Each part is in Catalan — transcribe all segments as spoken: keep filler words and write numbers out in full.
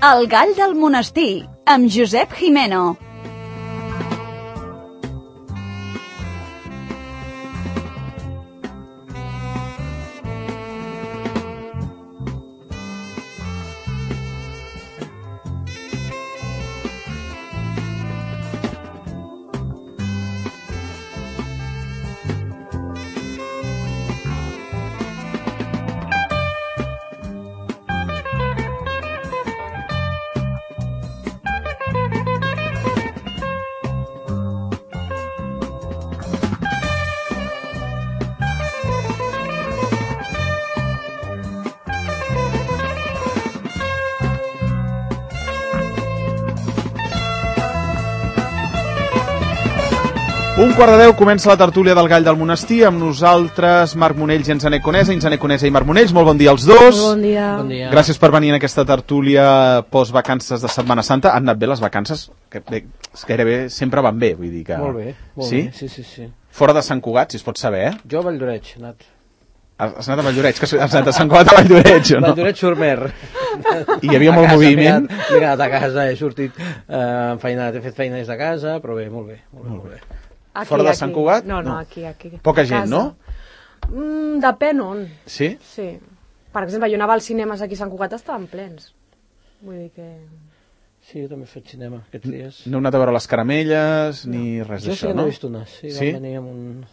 El gall del monestir, amb Josep Jimeno. Un quart de deu comença la tertúlia del Gall del Monestir, amb nosaltres Marc Monells i Enzané Conesa. Enzané Conesa i Marc Monells, molt bon dia als dos. Bon dia. Bon dia. Gràcies per venir en aquesta tertúlia post-vacances de Setmana Santa. Han anat bé les vacances? Que bé, gairebé sempre van bé, vull dir que... Molt bé, molt sí? bé, sí, sí, sí. Fora de Sant Cugat, si es pot saber, eh? Jo a Valldoreix, he anat. Has anat a Valldoreix, que has anat a Sant Cugat a Valldoreix, o no? Valldoreix Sormer. I hi havia molt casa, moviment? M'he quedat a casa, he sortit eh, enfeinat, he fet feina des de casa, però bé, molt bé, molt bé. Molt bé. Aquí, Fora de aquí. Sant Cugat? No, no, No. aquí, aquí. Poca A gent, casa. no? Mm, depèn on. Sí? Sí. Per exemple, jo anava als cinemes aquí a Sant Cugat, estaven plens. Vull dir que... Sí, jo també he fet cinema aquests dies. No heu anat a veure les caramelles, ni res Jo sí d'això, que no? n'he vist unes, sí, Sí? van venir amb, un,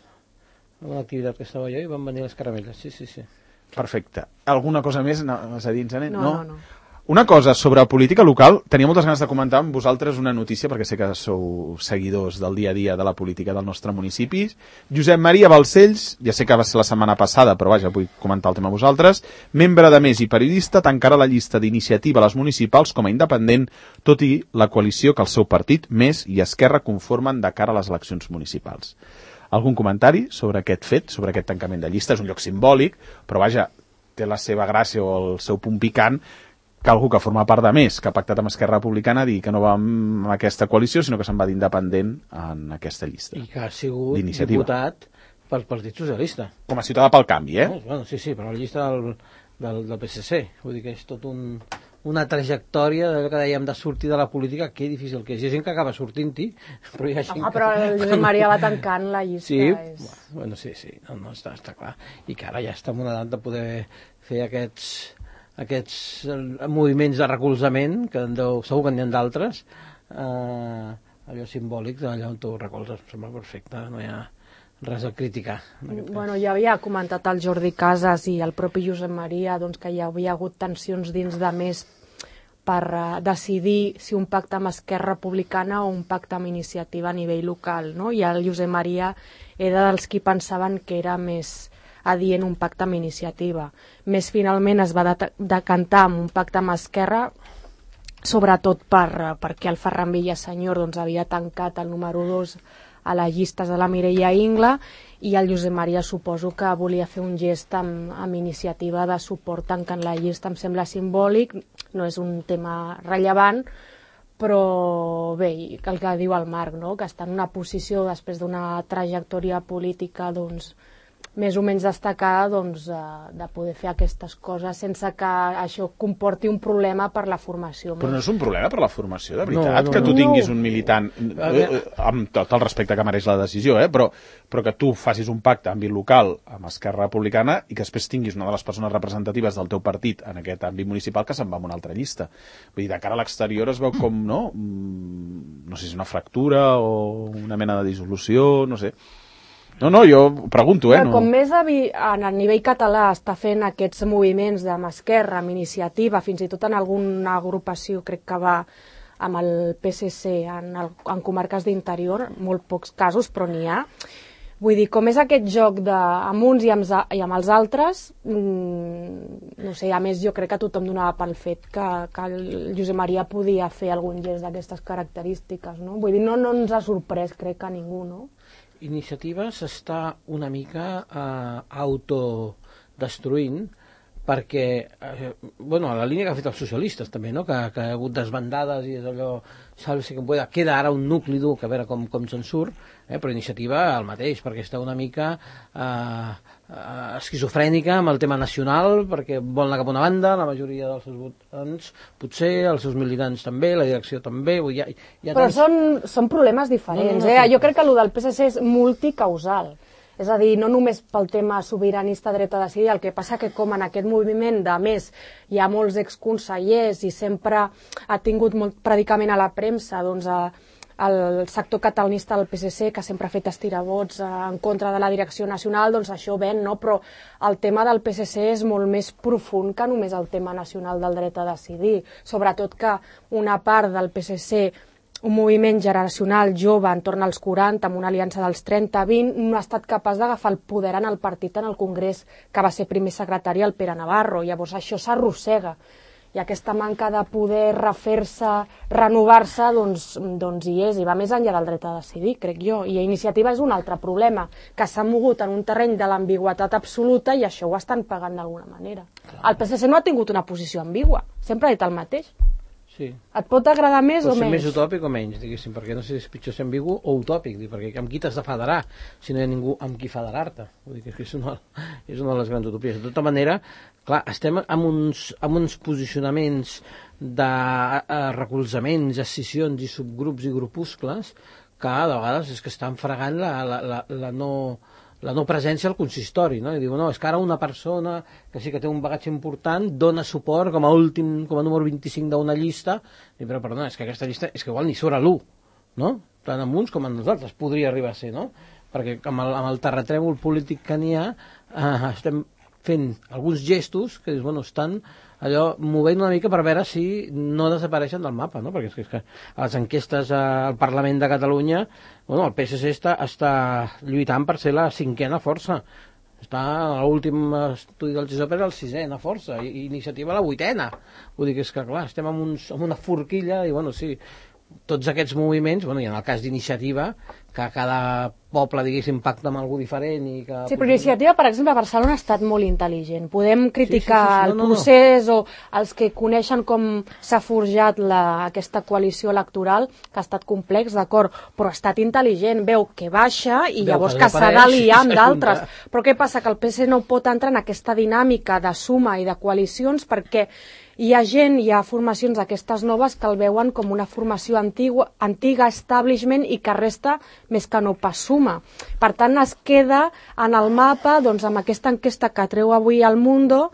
amb una activitat que estava jo i van venir les caramelles, sí, sí, sí. Perfecte. Alguna cosa més anaves a dir, Enzané? No, no, no. Una cosa sobre política local, tenia moltes ganes de comentar amb vosaltres una notícia, perquè sé que sou seguidors del dia a dia de la política del nostre municipi. Josep Maria Balcells, ja sé que va ser la setmana passada, però vaja, vull comentar el tema amb vosaltres, membre de Més i periodista, tancarà la llista d'iniciativa a les municipals com a independent, tot i la coalició que el seu partit, Més i Esquerra, conformen de cara a les eleccions municipals. Algun comentari sobre aquest fet, sobre aquest tancament de llista? És un lloc simbòlic, però vaja, té la seva gràcia o el seu punt picant, que algú que forma part de Més, que ha pactat amb Esquerra Republicana, digui que no va amb aquesta coalició, sinó que se'n va d'independent en aquesta llista. I que ha sigut D'iniciativa. diputat pel Partit Socialista. Com a ciutadà pel canvi, eh? No, bueno, sí, sí, però la llista del, del, del P S C. Vull dir que és tot un, una trajectòria d'allò que dèiem de sortir de la política, que difícil que és. Hi ha gent que acaba sortint-hi, però hi ha gent Home, que... però el Josep Maria va tancant la llista. Sí, És... bueno, sí, sí, no, no, està, està clar. I que ara ja està en una edat de poder fer aquests, aquests moviments de recolzament, que en deu, segur que n'hi ha d'altres, eh, allò simbòlic d'allò on tu recolzes, em sembla perfecte, no hi ha res a criticar. Bueno, ja havia comentat el Jordi Casas i el propi Josep Maria doncs, que hi havia hagut tensions dins de Més per uh, decidir si un pacte amb Esquerra Republicana o un pacte amb iniciativa a nivell local, no? I el Josep Maria era dels qui pensaven que era més adient un pacte amb iniciativa. Més finalment es va de decantar amb un pacte amb Esquerra, sobretot per, perquè el Ferran Villasenyor doncs, havia tancat el número dos a les llistes de la Mireia Ingla i el Josep Maria suposo que volia fer un gest amb, amb iniciativa de suport tancant la llista. Em sembla simbòlic, no és un tema rellevant, però bé, el que diu el Marc, no? Que està en una posició després d'una trajectòria política doncs, més o menys destacada doncs, de poder fer aquestes coses sense que això comporti un problema per la formació. Però no és un problema per la formació, de veritat, No, no, que tu no. tinguis un militant, eh, eh, amb tot el respecte que mereix la decisió, eh, però, però que tu facis un pacte a àmbit local amb Esquerra Republicana i que després tinguis una de les persones representatives del teu partit en aquest àmbit municipal que se'n va a una altra llista. Vull dir, de cara a l'exterior es veu com, no? No sé si és una fractura o una mena de dissolució, no sé. No, no, jo pregunto, eh? Però No. com Més a, a nivell català està fent aquests moviments amb Esquerra, amb iniciativa, fins i tot en alguna agrupació, crec que va amb el P S C en, el, en comarques d'interior, molt pocs casos, però n'hi ha. Vull dir, com és aquest joc de, amb uns i amb, i amb els altres, mmm, no sé, a més jo crec que tothom donava pel fet que, que el Josep Maria podia fer algun gest d'aquestes característiques, no? Vull dir, no, no ens ha sorprès, crec que a ningú, no? Iniciativa s'està una mica eh, autodestruint perquè, eh, bueno, a la línia que ha fet els socialistes també, no? que, que ha hagut desbandades i és allò, salve si que pueda, queda ara un nucli dur que a veure com, com se'n surt, eh? Però Iniciativa el mateix, perquè està una mica eh, eh, esquizofrènica amb el tema nacional, perquè vol anar cap a una banda, la majoria dels seus votants potser, els seus militants també, la direcció també, vull, hi ha, hi ha però tants... són, són problemes diferents, no, no, no, eh? Jo crec que el del P S C és multicausal. És a dir, no només pel tema sobiranista dret a decidir, el que passa que com en aquest moviment, de més, hi ha molts exconsellers i sempre ha tingut molt predicament a la premsa, doncs, a, el sector catalanista del P S C, que sempre ha fet estiravots en contra de la direcció nacional, doncs això ven, no? Però el tema del P S C és molt més profund que només el tema nacional del dret a decidir. Sobretot que una part del P S C, un moviment generacional jove entorn als quaranta, amb una aliança dels trenta a vint, no ha estat capaç d'agafar el poder en el partit en el Congrés, que va ser primer secretari el Pere Navarro. Llavors això s'arrossega. I aquesta manca de poder refer-se, renovar-se, doncs, doncs hi és, i va més enllà del dret a decidir, crec jo. I Iniciativa és un altre problema, que s'ha mogut en un terreny de l'ambigüitat absoluta i això ho estan pagant d'alguna manera. El P S C no ha tingut una posició ambigua, sempre ha dit el mateix. Sí. Et pot agradar més pot o menys? Pot ser més utòpic o menys, diguéssim, perquè no sé si és pitjor ser ambigu o utòpic, perquè amb qui t'has de federar si no hi ha ningú amb qui federar-te? Vull dir que és una, és una de les grans utopies. De tota manera, clar, estem amb uns, amb uns posicionaments de uh, recolzaments, escissions i subgrups i grupuscles que de vegades és que estan fregant la, la, la, la no... la no presència al consistori, no? I diu, no, és que ara una persona que sí que té un bagatge important dona suport com a últim, com a número vint-i-cinc d'una llista, i però perdona, és que aquesta llista és que igual ni surt a l'u, no? Tant amb uns com amb nosaltres podria arribar a ser, no? Perquè amb el, amb el terratrèmol polític que n'hi ha, eh, estem fent alguns gestos que dius, bueno, estan allò movent una mica per veure si no desapareixen del mapa, no? Perquè és que, és que a les enquestes al Parlament de Catalunya, bueno, el P S C està, està lluitant per ser la cinquena força. Està a l'últim estudi del GESOP era el sisena força, i, i Iniciativa la vuitena. Vull dir que és que, clar, estem en, uns, en una forquilla, i bueno, sí, tots aquests moviments, bueno, i en el cas d'Iniciativa, que cada poble, diguéssim, pacta amb algú diferent i que... Sí, però Iniciativa, per exemple, a Barcelona ha estat molt intel·ligent. Podem criticar sí, sí, sí, sí. el No, no, procés no. o els que coneixen com s'ha forjat la, aquesta coalició electoral, que ha estat complex, d'acord, però ha estat intel·ligent. Veu que baixa i Veu llavors que que s'ha desapareix d'aliar i amb s'ajunta. d'altres. Però què passa? Que el P S C no pot entrar en aquesta dinàmica de suma i de coalicions perquè hi ha gent, hi ha formacions d'aquestes noves que el veuen com una formació antigua, antiga, establishment, i que resta més que no pas suma. Per tant, es queda en el mapa, doncs, amb aquesta enquesta que treu avui al Mundo.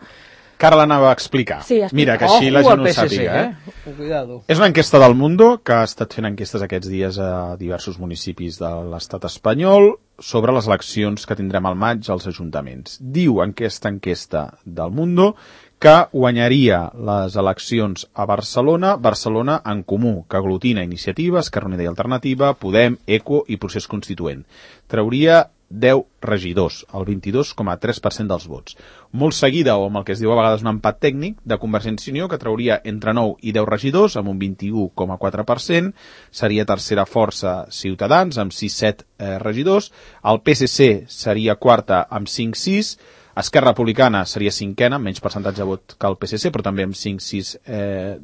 Que ara l'anava a explicar. Sí, explica. Mira, que així Ojo la gent al ho P S C, sàpiga. eh? Eh? Cuidado. És una enquesta del Mundo que ha estat fent enquestes aquests dies a diversos municipis de l'estat espanyol sobre les eleccions que tindrem al maig als ajuntaments. Diu aquesta enquesta del Mundo que guanyaria les eleccions a Barcelona, Barcelona en Comú, que aglutina Iniciativa, Esquerra Unida i Alternativa, Podem, ECO i Procés Constituent. Trauria deu regidors, el vint-i-dos coma tres per cent dels vots. Molt seguida, o amb el que es diu a vegades un empat tècnic, de Convergència i Unió, que trauria entre nou i deu regidors, amb un vint-i-u coma quatre per cent. Seria tercera força Ciutadans, amb sis coma set eh, regidors. El P S C seria quarta, amb cinc coma sis. Esquerra Republicana seria cinquena, amb menys percentatge de vot que el P S C, però també amb cinc coma sis eh,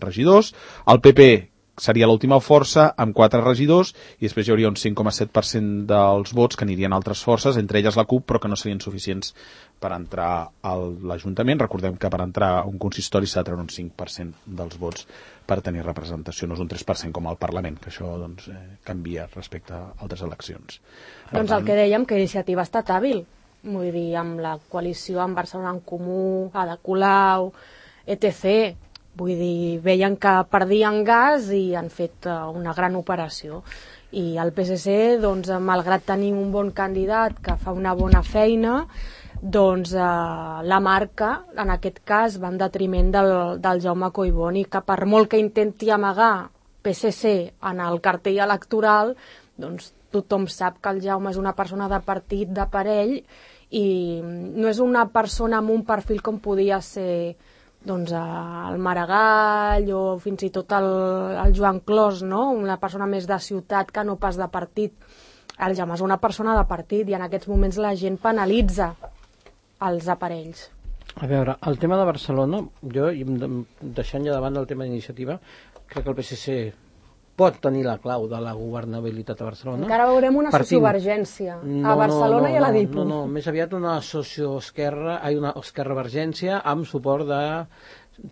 regidors. El P P seria l'última força, amb quatre regidors, i després hi hauria un cinc coma set per cent dels vots que anirien a altres forces, entre elles la CUP, però que no serien suficients per entrar a l'Ajuntament. Recordem que per entrar a un consistori s'ha de treure un cinc per cent dels vots per tenir representació, no és un tres per cent com al Parlament, que això doncs, eh, canvia respecte a altres eleccions. Per Doncs el que dèiem, que Iniciativa ha estat hàbil. Vull dir, amb la coalició amb Barcelona en Comú, Ada Colau, etcètera. Vull dir, veien que perdien gas i han fet una gran operació. I el P S C, doncs, malgrat tenir un bon candidat que fa una bona feina, doncs eh, la marca, en aquest cas, va en detriment del, del Jaume Collboni, que per molt que intenti amagar P S C en el cartell electoral, doncs tothom sap que el Jaume és una persona de partit, de parell, i no és una persona amb un perfil com podia ser doncs, el Maragall o fins i tot el, el Joan Clos, no? Una persona més de ciutat que no pas de partit. El Jaume és una persona de partit i en aquests moments la gent penalitza els aparells. A veure, el tema de Barcelona, jo, deixant ja davant del tema d'iniciativa, crec que el P S C pot tenir la clau de la governabilitat a Barcelona. Encara veurem una Partint... sociovergència no, a Barcelona no, no, i a la no, Dipu. No, no, més aviat una socioesquerra, hi una esquerra-vergència amb suport de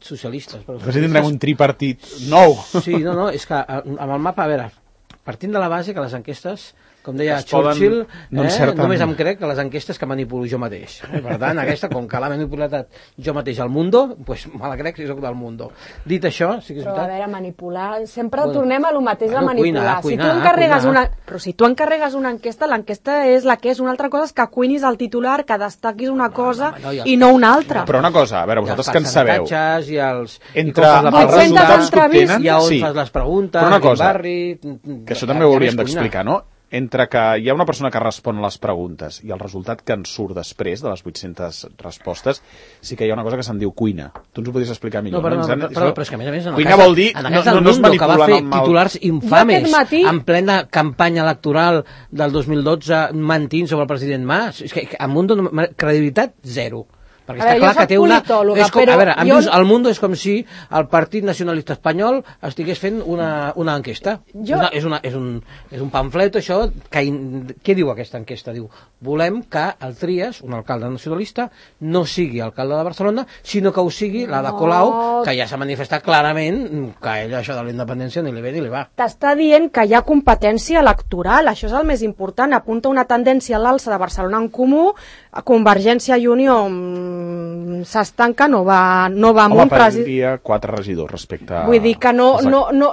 socialistes. Però si tindrem un tripartit nou. Sí, no, no, és que amb el mapa, a veure, partint de la base que les enquestes, com deia es poden, Churchill, no eh, encerten... només em crec que les enquestes que manipulo jo mateix. Per tant, aquesta, com que l'ha manipulat jo mateix al Mundo, doncs me la crec si soc del Mundo. Dit això, sí que és Però veritat. a veure, manipular... Sempre Bueno, tornem a lo mateix bueno, de manipular. cuinar, cuinar, si tu encarregues cuinar. una... Però si tu encarregues una enquesta, l'enquesta és la que és. Una altra cosa és que cuinis el titular, que destaquis una cosa no, no, ja i no una altra. Però una cosa, a veure, vosaltres que en sabeu... I els entre els els resultats que obtenen... i on sí. fas les preguntes, Però una cosa, barri... que això també ho hauríem d'explicar, no? Entre que hi ha una persona que respon a les preguntes i el resultat que en surt després de les vuit-centes respostes, sí que hi ha una cosa que se'n diu cuina. Tu ens ho podries explicar millor. No, però, no, no? però, però, però és que a més a més... En cuina cas, vol dir... En no, el no, no Mundo, es manipulen que va fer amb el... titulars infames matí... en plena campanya electoral del dos mil dotze mentint sobre el president Mas. És que el Mundo, credibilitat, zero. Perquè A està veure, clar jo que soc té una... politòloga, És com, però a veure, jo- jo... el Mundo és com si el Partit Nacionalista Espanyol estigués fent una, una enquesta. Jo- Una, és, una, és, un, és un pamflet, això... Que, in- què diu aquesta enquesta? Diu, volem que el Trias, un alcalde nacionalista, no sigui alcalde de Barcelona, sinó que ho sigui la de No. Colau, que ja s'ha manifestat clarament que ell això de la independència ni li ve ni li va. T'està dient que hi ha competència electoral, això és el més important, apunta una tendència a l'alça de Barcelona en Comú, a Convergència i Unió mm, s'estanca, no va, no va Home, amunt. presi- perdria quatre regidors respecte a... Vull dir que no, Exacte. no, no,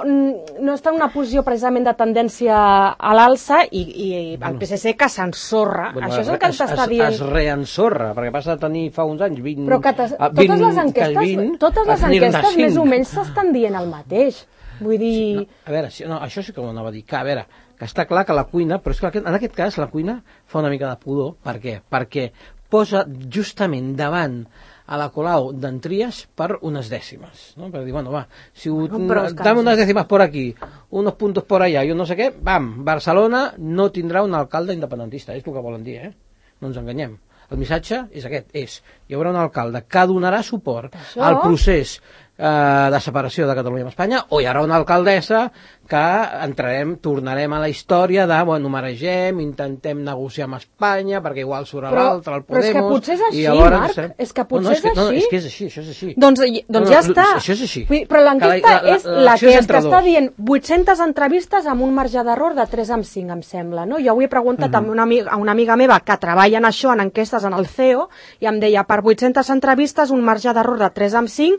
no està en una posició precisament de tendència a l'alça i, i el P S C que s'ensorra. Bueno, Això és el que es, t'està es, dient. es reensorra, perquè passa de tenir fa uns anys vint... Però que t'es- ah, totes vint- les enquestes, vint, totes a les tenir-ne enquestes cinc. més o menys s'estan dient el mateix. Vull dir... No, a veure, si, no, això sí que ho anava a dir, que a veure, que està clar que la cuina, però és que en aquest cas la cuina fa una mica de pudor. Per què? Perquè posa justament davant a la Colau d'en Trias per unes dècimes, no? Per dir, bueno, va, si ho, Bueno, però és que- dame unes dècimes por aquí, unos puntos por allá i un no sé què, bam, Barcelona no tindrà un alcalde independentista, és el que volen dir, eh? No ens enganyem. El missatge és aquest, és, hi haurà un alcalde que donarà suport Això? al procés eh, de separació de Catalunya amb Espanya, o hi haurà una alcaldessa que entrarem, tornarem a la història de, bueno, maregem, intentem negociar amb Espanya, perquè igual surt a Però- l'altre, el però és que Podemos... potser és així, i alhora Marc, estarem- és que potser no, no, és, que, és no, així. és que és així, això és així. Doncs, doncs No, no, ja està. això és així. Vull dir, però l'enquesta Que la- la- és la- la l'acció que és és entre que està dos. dient vuit-centes entrevistes amb un marge d'error de tres amb cinc, em sembla. No? Jo avui he preguntat Mhm. a, una amiga, a una amiga meva que treballa en això, en enquestes en el C E O, i em deia, per vuit-centes entrevistes un marge d'error de tres amb cinc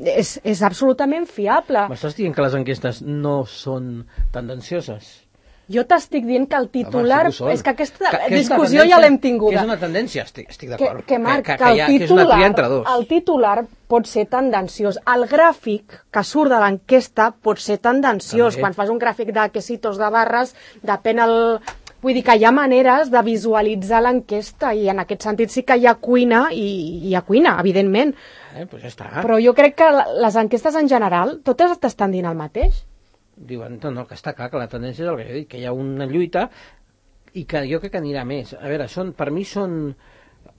és, és absolutament fiable. M'estàs dient que les enquestes no són tendencioses? Jo t'estic dient que el titular... Home, sí que ho són. és que aquesta Que- que és una discussió ja tendència- l'hem tinguda. Que és una tendència, estic, estic que, d'acord. que, Marc, que, que, el hi ha, que és una titular, tria entre dos. el titular pot ser tendenciós. El gràfic que surt de l'enquesta pot ser tendenciós. També. Quan fas un gràfic de quesitos de barres, depèn el... Vull dir que hi ha maneres de visualitzar l'enquesta i en aquest sentit sí que hi ha cuina i hi ha cuina, evidentment. Eh, pues ja està. Però jo crec que la- les enquestes en general totes t'estan dient el mateix. Diuen, no, no, que està clar que la tendència és el que he dit, que hi ha una lluita i que jo crec que anirà més. A veure, són, per mi són...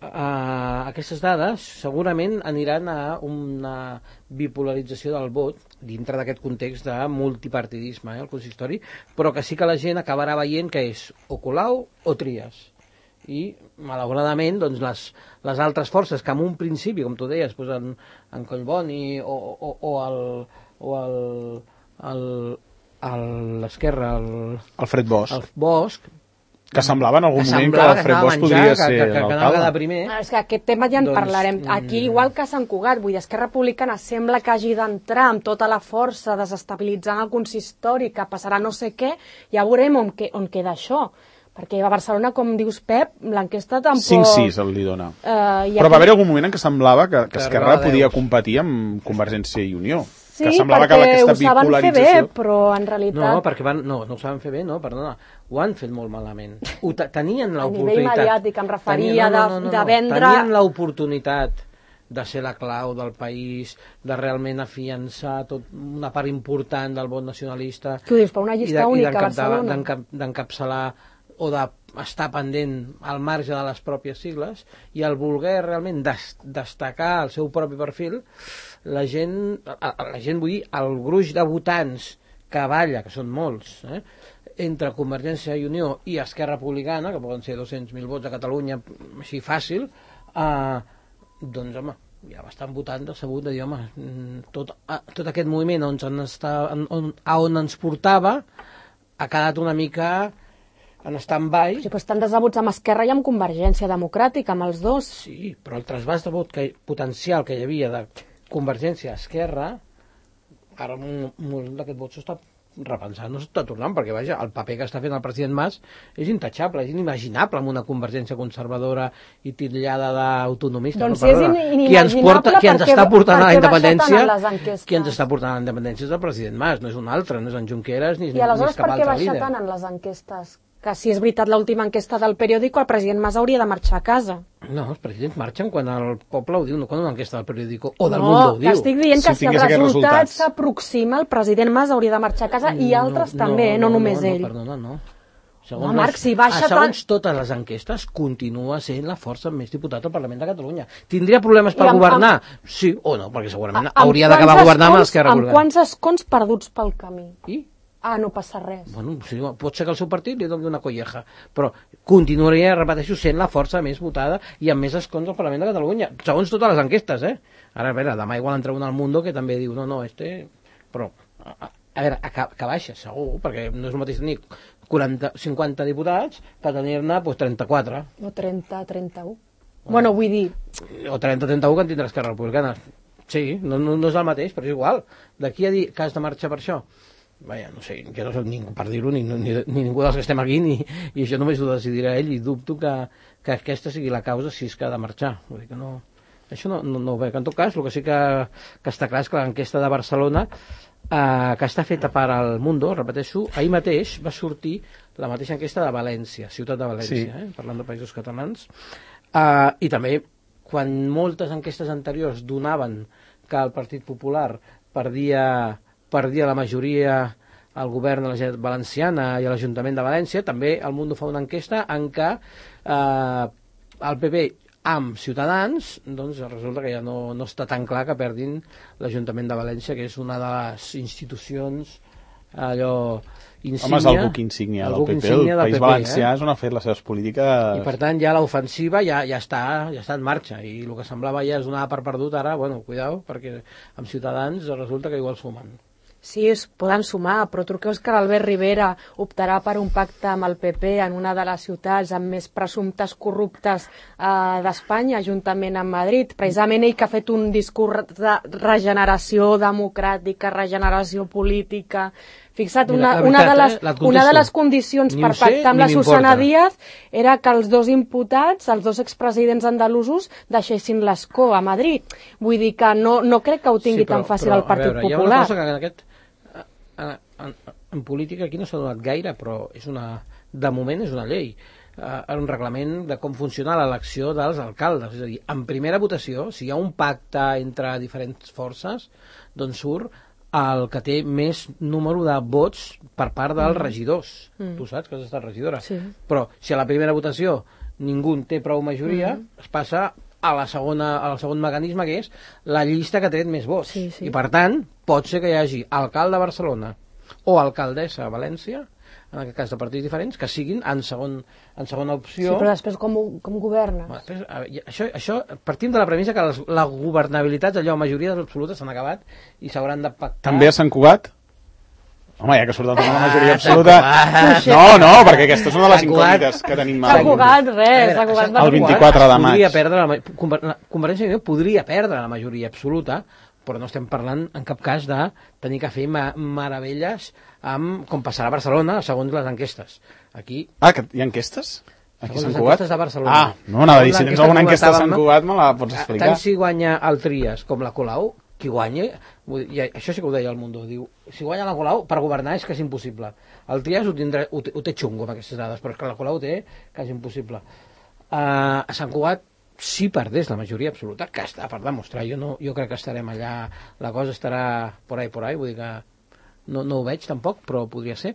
Uh, aquestes dades segurament aniran a una bipolarització del vot dintre d'aquest context de multipartidisme, eh, el consistori, però que sí que la gent acabarà veient que és o Colau o Trias. I, malauradament, doncs, les, les altres forces que en un principi, com tu deies, doncs en, en Collboni o, o, o el... O el, el a l'esquerra, el, Alfred Bosch, el Bosch, que semblava en algun que moment que semblava que Alfred anava Bosch a podria menjar, ser que, que, que anava a quedar l'alcalde. primer. Ah, és que aquest tema ja en Doncs, parlarem. Aquí, mm. igual que a Sant Cugat, vull dir, Esquerra Republicana sembla que hagi d'entrar amb tota la força, desestabilitzant el consistori, que passarà no sé què, ja veurem on, que, on queda això. Perquè a Barcelona, com dius, Pep, l'enquesta tampoc... cinc sis el li dona. Uh, Però va haver algun moment en què semblava que, que Que Esquerra arribava a podia deu. competir amb Convergència i Unió. Sí, que semblava que perquè aquesta ho saben fer bé, bipolarització... però en realitat... No, perquè van, no, no ho saben fer bé, no, perdona, ho han fet molt malament. Ho te- tenien A nivell l'oportunitat. mediàtic, em referia Tenien- de- de vendre- Tenien l'oportunitat de ser la clau del país, de realment afiançar tot una part important del vot nacionalista. Què ho dius, per una i llista de- i única a d'encaptar- Barcelona? d'encap- d'encapçalar o de estar pendent al marge de les pròpies sigles, i el voler realment des destacar el seu propi perfil, la gent, la gent vull dir, el gruix de votants que balla, que són molts, eh, entre Convergència i Unió i Esquerra Republicana, que poden ser dos-cents mil vots a Catalunya, així fàcil, eh, doncs, home, ja bastant votant decebut de dir, home, tot, tot aquest moviment on, està, on, on ens portava ha quedat una mica en stand-by. Sí, però estan decebuts amb Esquerra i amb Convergència Democràtica, amb els dos. Sí, però el trasbàs de vot que, potencial que hi havia de Convergència a Esquerra, ara molt d'aquest vot s'està repensant, no s'està tornant, perquè vaja, el paper que està fent el president Mas és intachable, és inimaginable amb una Convergència conservadora i titllada d'autonomista. Doncs no? és inimaginable qui ens porta, qui ens perquè, està portant a la independència, qui ens està està portant a la independència és el president Mas, no és un altre, no és en Junqueras ni, I aleshores ni cap per què altre baixa líder. tant en les enquestes? Que si és veritat l'última enquesta del periòdico, el president Mas hauria de marxar a casa. No, els presidents marxen quan el poble ho diu, no quan una enquesta del periòdico o del no, Mundo ho diu. No, estic dient que Si si, el tingués aquests resultat resultats. s'aproxima, el president Mas hauria de marxar a casa i altres també, no, no només no, ell. No, perdona, no. Segons, No, Marc, les, si baixa ah, segons tant- totes les enquestes, continua sent la força amb més diputats al Parlament de Catalunya. Tindria problemes per I amb- governar? Sí o no, perquè segurament Amb hauria quants d'acabar governant amb escons- l'Esquerra Amb Republicana. quants escons perduts pel camí? I? Ah, no passa res. Bueno, sí, pot ser que el seu partit li doni una colleja, però continuaria, repeteixo, sent la força més votada i amb més escons al Parlament de Catalunya, segons totes les enquestes, eh? Ara, a veure, demà igual entra un al Mundo que també diu, no, no, este... Però, a, a veure, que, que baixa, segur, perquè no és el mateix tenir quaranta, cinquanta diputats que tenir-ne pues, trenta-quatre. O trenta, trenta-u. Bueno, vull dir, O trenta trenta-u que en tindrà Esquerra Republicana. Sí, no, no, no és el mateix, però és igual. D'aquí a dir que has de marxar per això, vaja, no sé, jo no soc ningú per dir-ho, ni, ni, ni ningú dels que estem aquí, ni, i això només ho decidirà ell, i dubto que, que aquesta sigui la causa si és que ha de marxar. Vull dir que no, això no, no, no ho veig. En tot cas, el que sí que, que està clar és que l'enquesta de Barcelona, eh, que està feta per al Mundo, repeteixo, ahir mateix va sortir la mateixa enquesta de València, ciutat de València, Sí. eh, parlant de països catalans, eh, i també quan moltes enquestes anteriors donaven que el Partit Popular perdia, perdia la majoria al govern de la Generalitat Valenciana i a l'Ajuntament de València, també el Mundo fa una enquesta en què eh, el P P amb Ciutadans, doncs resulta que ja no, no està tan clar que perdin l'Ajuntament de València, que és una de les institucions allò insígnia. Home, és el buc insígnia del P P. El País Valencià és on ha fet les seves polítiques... I per tant ja l'ofensiva ja, ja, està, ja està en marxa, i el que semblava ja es donava per perdut, ara, bueno, cuidao, perquè amb Ciutadans resulta que igual sumen. sí, es poden sumar, però tu creus que l'Albert Rivera optarà per un pacte amb el P P en una de les ciutats amb més presumptes corruptes eh, d'Espanya, juntament amb Madrid? Precisament ell que ha fet un discurs de regeneració democràtica, regeneració política... Fixa't, una, Mira, una, veritat, de les, eh? una de les condicions Ni per ho sé, pactar amb ni la Susana m'importa. Díaz era que els dos imputats, els dos expresidents andalusos, deixessin l'escó a Madrid. Vull dir que no, no crec que ho tingui Sí, però- tan fàcil però, el Partit a veure, Popular. Hi ha una cosa que en aquest... En, en, en política aquí no s'ha donat gaire, però és una, de moment és una llei. Uh, un reglament de com funciona l'elecció dels alcaldes. És a dir, en primera votació, si hi ha un pacte entre diferents forces, doncs surt el que té més número de vots per part dels regidors. Mm. Tu saps que has estat regidora. Sí. Però si a la primera votació ningú té prou majoria, mm. es passa a la segona, al segon mecanisme, que és la llista que ha tret més vots. Sí, sí. I per tant, pot ser que hi hagi alcalde a Barcelona o alcaldessa a València, en aquest cas de partits diferents, que siguin en, segon, en segona Sí, opció. però després com, ho- com governes? Bueno, després, a veure, això, això partim de la premissa que les, la governabilitat, allò, majories absolutes s'han acabat i s'hauran de pactar. També a Sant Cugat? Home, ja que surt el tema de la majoria Ah, absoluta... Sant Cugat. No, no, perquè aquesta és una de les Sant Cugat. incògnites que tenim. S'ha al- jugat res, A veure, s'ha jugat el per vint-i-quatre de maig. Podria perdre la, ma- Conver- Convergència i Unió podria perdre la majoria absoluta, però no estem parlant en cap cas de tenir que fer ma meravelles amb, com passarà a Barcelona segons les enquestes. Aquí, Ah, que hi ha enquestes? Aquí a segons Sant les Cugat? enquestes de Barcelona. Ah, no, anava a dir, si tens L'enquesta alguna que enquesta a Sant comentàvem, Cugat me la pots explicar. tant si guanya el Trias com la Colau, qui guanya, vull dir, això sí que ho deia el Mundo, diu, si guanya la Colau, per governar és que és impossible. El Trias ho, tindrà, ho, té, ho té xungo amb aquestes dades, però és que la Colau té que és impossible. Uh, a Sant Cugat, si perdés la majoria absoluta, que està per demostrar, jo, no, jo crec que estarem allà, la cosa estarà por ahí, por ahí, vull dir que no, no ho veig tampoc, però podria ser.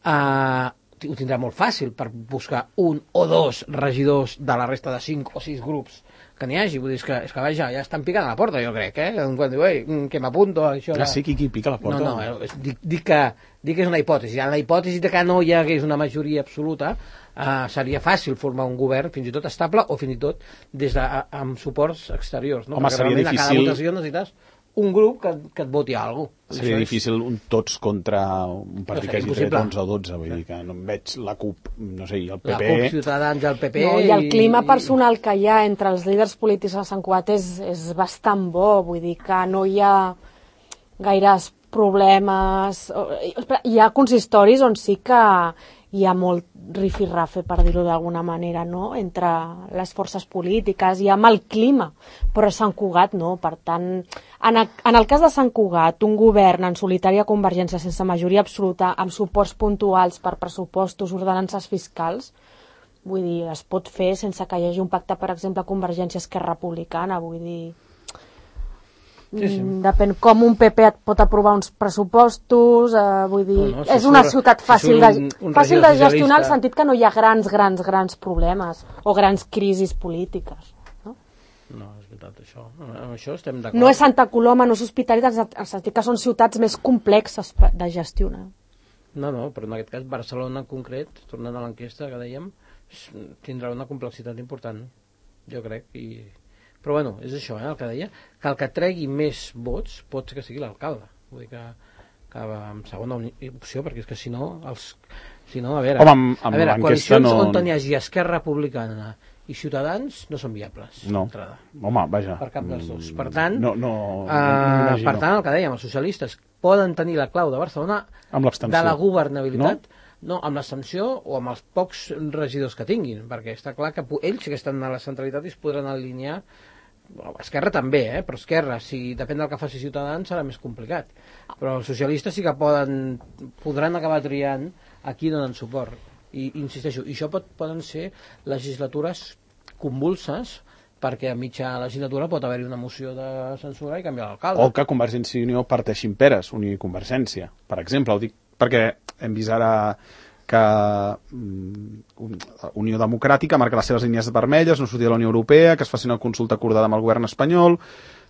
Uh, ho tindrà molt fàcil per buscar un o dos regidors de la resta de cinc o sis grups que n'hi hagi, vull dir, és que, és que vaja, ja estan picant a la porta, jo crec, eh? Quan diu, ei, que m'apunto, això... Ah, sí, qui, qui pica a la porta? No, no, eh, dic, dic, que, dic que és una hipòtesi. En la hipòtesi de que no hi hagués una majoria absoluta, eh, seria fàcil formar un govern, fins i tot estable, o fins i tot des de, amb suports exteriors, no? Home, perquè seria realment difícil... a cada votació necessites un grup que, que et voti a alguna cosa. Seria difícil un tots contra un partit que hagi tret onze o dotze, vull dir que no em veig la CUP, no sé, i el P P... La CUP, Ciutadans, el P P... No, i el clima i... personal que hi ha entre els líders polítics a Sant Cugat és, és bastant bo, vull dir que no hi ha gaires problemes... Hi ha consistoris on sí que hi ha molt rifirrafe, per dir-ho d'alguna manera, no? Entre les forces polítiques i amb el clima, però a Sant Cugat no. Per tant, en, a, en el cas de Sant Cugat, un govern en solitari a Convergència sense majoria absoluta, amb suports puntuals per pressupostos, ordenances fiscals, vull dir, es pot fer sense que hi hagi un pacte, per exemple, Convergència-Esquerra Republicana, vull dir... Sí, sí. Depèn com un P P et pot aprovar uns pressupostos, eh, vull dir, no, no, si és una surt, ciutat fàcil, si de, un, un fàcil de gestionar, en el sentit que no hi ha grans, grans, grans problemes o grans crisis polítiques. No, no és veritat, això. Amb això estem d'acord. No és Santa Coloma, no és Hospitalet, en el sentit que són ciutats més complexes de gestionar. No, no, però en aquest cas Barcelona en concret, tornant a l'enquesta que dèiem, tindrà una complexitat important, jo crec, i... Però bueno, és això, eh, el que deia, que el que tregui més vots pot ser que sigui l'alcalde. Vull dir que, que amb segona opció, perquè és que si no, els, si no a veure, Home, amb, amb a veure coalicions no... on hi hagi Esquerra Republicana i Ciutadans no són viables. No, home, vaja. Per cap dels dos. Per tant, no, no, uh, no per tant, el que dèiem, els socialistes poden tenir la clau de Barcelona de la governabilitat, no? No, amb l'abstenció o amb els pocs regidors que tinguin, perquè està clar que ells que estan a la centralitat i es podran alinear. Esquerra també, eh? Però Esquerra, si depèn del que faci Ciutadans, serà més complicat. Però els socialistes sí que poden, podran acabar triant a qui donen suport. I insisteixo, i això pot, poden ser legislatures convulses, perquè a mitja legislatura pot haver-hi una moció de censura i canviar l'alcalde. O que Convergència i Unió parteixin peres, Unió i Convergència, per exemple. Ho dic perquè hem vist ara que um, Unió Democràtica marca les seves línies vermelles, no sortir de la Unió Europea, que es faci una consulta acordada amb el govern espanyol,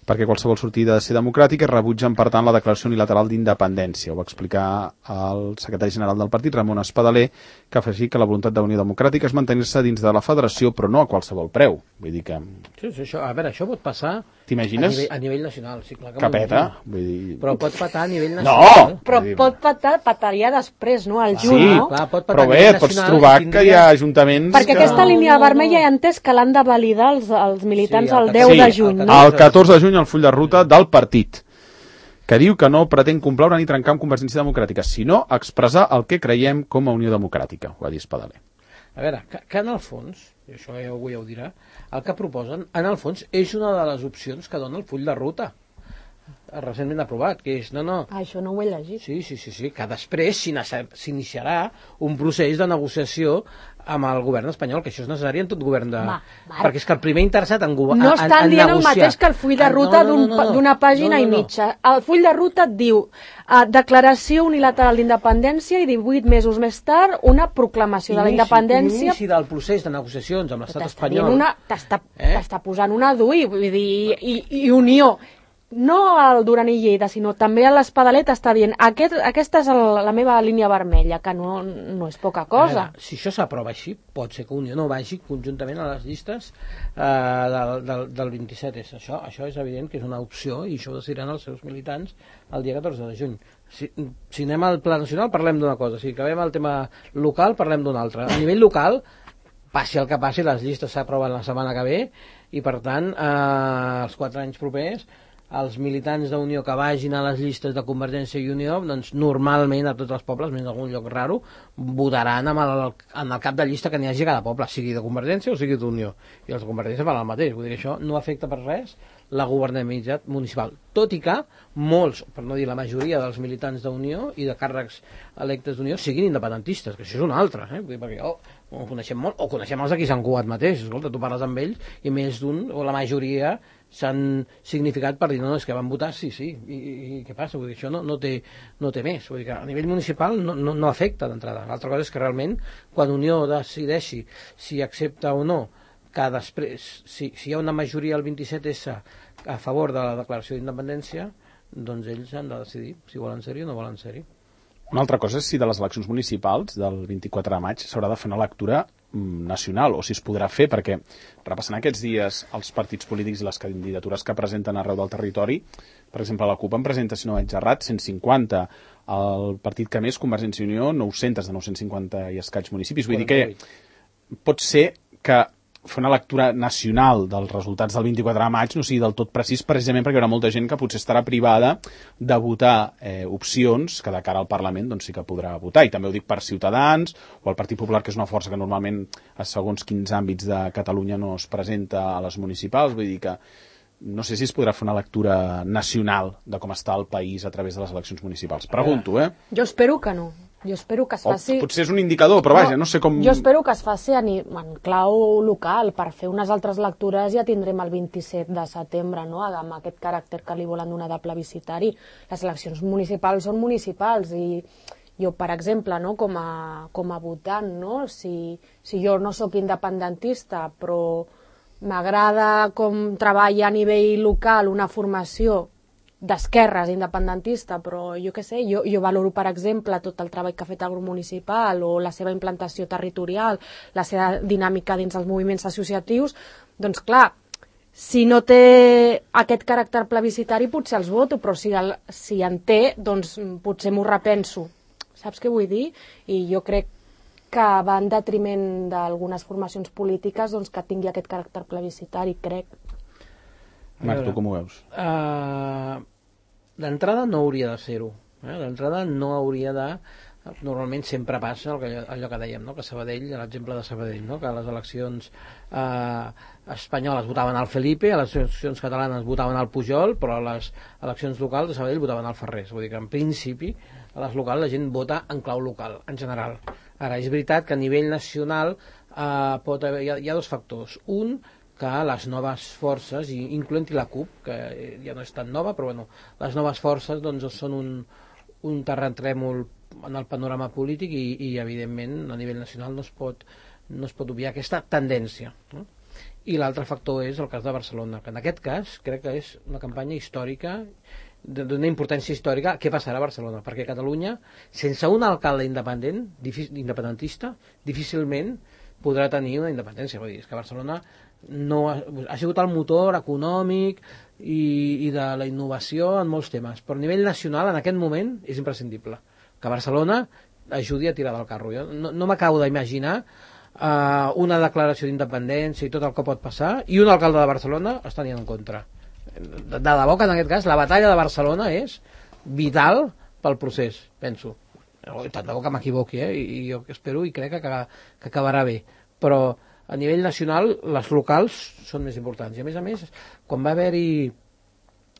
perquè qualsevol sortida ha de ser democràtica, i rebutgen, per tant, la declaració unilateral d'independència. Ho va explicar el secretari general del partit, Ramon Espadaler, que afegí que la voluntat de Unió Democràtica és mantenir-se dins de la federació, però no a qualsevol preu. Vull dir que... Sí, sí, això, a veure, això pot passar t'imagines? A, nivell, a nivell nacional. Sí, clar que que peta, vull dir... Però pot patar a nivell nacional. No! Però dir... pot patar, pataria després, no? Al juny, sí, no? Clar, pot però bé, et pots trobar tindria... que hi ha ajuntaments perquè que... aquesta línia vermella ja he entès que l'han de validar els, els militants sí, el, el deu sí, de juny. El, el catorze de juny el full de ruta del partit, que diu que no pretén complaure ni trencar amb Convergència Democràtica, sinó expressar el que creiem com a Unió Democràtica, ho va dir Espadaler. A veure, que, que en el fons, i això ja avui ja ho dirà, el que proposen, en el fons, és una de les opcions que dona el full de ruta recentment aprovat, que és, no, no... Ah, això no ho he llegit. Sí, sí, sí, sí, que després s'iniciarà un procés de negociació amb el govern espanyol, que això és necessari en tot govern de... Va, va. Perquè és que el primer interessat en, en, no estan en dient negociar... el mateix que el full de ruta ah, no, no, no, no, d'una pàgina no, no, no. i mitja. El full de ruta et diu uh, declaració unilateral d'independència i divuit mesos més tard una proclamació inici, de la independència... Inici del procés de negociacions amb l'estat espanyol. T'està eh? posant una d'ui, vull dir, i, i, i unió... No al Duran i Lleida, sinó també a l'Espadalet està dient Aquest, aquesta és el, la meva línia vermella, que no, no és poca cosa. Veure, si això s'aprova així, pot ser que Unió no vagi conjuntament a les llistes eh, del, del, del vint-i-set. És això, això és evident que és una opció i això ho decidiran els seus militants el dia catorze de juny. Si, si anem al pla nacional parlem d'una cosa, si acabem el tema local parlem d'una altra. A nivell local, passi el que passi, les llistes s'aproven la setmana que ve i per tant eh, els quatre anys propers els militants d'Unió que vagin a les llistes de Convergència i Unió, doncs normalment a tots els pobles, menys en algun lloc raro, votaran amb el, en el cap de llista que n'hi hagi a cada poble, sigui de Convergència o sigui d'Unió. I els de Convergència fan el mateix, vull dir que això no afecta per res la governabilitat municipal. Tot i que molts, per no dir la majoria dels militants d'Unió i de càrrecs electes d'Unió siguin independentistes, que això és una altra, eh? Vull dir, perquè oh, ho coneixem molt, o coneixem els d'aquí Sant Cugat mateix, escolta, tu parles amb ells i més d'un, o la majoria s'han significat per dir, no, no, és que van votar, sí, sí, i, i, i què passa? Vull dir, això no, no, té, no té més. Vull dir que a nivell municipal no, no, no afecta d'entrada. L'altra cosa és que realment, quan Unió decideixi si accepta o no, que després, si, si hi ha una majoria al vint-i-set essa a favor de la declaració d'independència, doncs ells han de decidir si volen ser-hi o no volen ser-hi. Una altra cosa és si de les eleccions municipals del vint-i-quatre de maig s'haurà de fer una lectura nacional, o si es podrà fer, perquè repassant aquests dies els partits polítics i les candidatures que presenten arreu del territori, per exemple, la CUP en presenta, si no vaig errat, cent cinquanta, el partit que més, Convergència i Unió, nou-cents de nou-cents cinquanta i escaig municipis. Vull dir que pot ser que fer una lectura nacional dels resultats del vint-i-quatre de maig no sigui del tot precís, precisament perquè hi haurà molta gent que potser estarà privada de votar eh, opcions que de cara al Parlament doncs sí que podrà votar. I també ho dic per Ciutadans o el Partit Popular, que és una força que normalment a segons quins àmbits de Catalunya no es presenta a les municipals. Vull dir que no sé si es podrà fer una lectura nacional de com està el país a través de les eleccions municipals. Pregunto, eh? Jo espero que no. Jo espero que es faci... O potser és un indicador, però vaja, no, no sé com... Jo espero que es faci en, en clau local. Per fer unes altres lectures ja tindrem el vint-i-set de setembre, no?, amb aquest caràcter que li volen donar de plebiscitari. Les eleccions municipals són municipals i jo, per exemple, no, com a, com a votant, no?, si, si jo no sóc independentista, però m'agrada com treballa a nivell local una formació d'esquerres independentista, però jo què sé, jo, jo valoro, per exemple, tot el treball que ha fet el grup municipal o la seva implantació territorial, la seva dinàmica dins els moviments associatius, doncs clar, si no té aquest caràcter plebiscitari potser els voto, però si, el, si en té, doncs potser m'ho repenso. Saps què vull dir? I jo crec que va en detriment d'algunes formacions polítiques doncs, que tingui aquest caràcter plebiscitari, crec. Marc, tu com ho veus? Uh, D'entrada no hauria de ser-ho. Eh? D'entrada no hauria de... Normalment sempre passa el que, allò que dèiem, no? Que Sabadell, l'exemple de Sabadell, no? Que a les eleccions uh, espanyoles votaven al Felipe, a les eleccions catalanes votaven al Pujol, però a les eleccions locals de Sabadell votaven al Ferrés. Vull dir que en principi a les locals la gent vota en clau local, en general. Ara, és veritat que a nivell nacional uh, pot haver, hi ha, hi ha dos factors. Un, que les noves forces, incloent-hi la CUP, que ja no és tan nova, però bueno, les noves forces doncs, són un, un terratrèmol en el panorama polític i, i evidentment a nivell nacional no es pot, no es pot obviar aquesta tendència, no? I l'altre factor és el cas de Barcelona, que en aquest cas crec que és una campanya històrica, d'una importància històrica. Què passarà a Barcelona? Perquè Catalunya, sense un alcalde independent, independentista, difícilment podrà tenir una independència. Vull dir, és que Barcelona no ha, ha sigut el motor econòmic i, i de la innovació en molts temes, però a nivell nacional en aquest moment és imprescindible que Barcelona ajudi a tirar del carro. Jo no, no m'acabo d'imaginar uh, una declaració d'independència i tot el que pot passar i un alcalde de Barcelona està anant en contra. De, de debò que en aquest cas la batalla de Barcelona és vital pel procés, penso. Tant de bo que m'equivoqui, eh? I jo espero i crec que, que acabarà bé, però a nivell nacional les locals són més importants. I a més a més, quan va haver-hi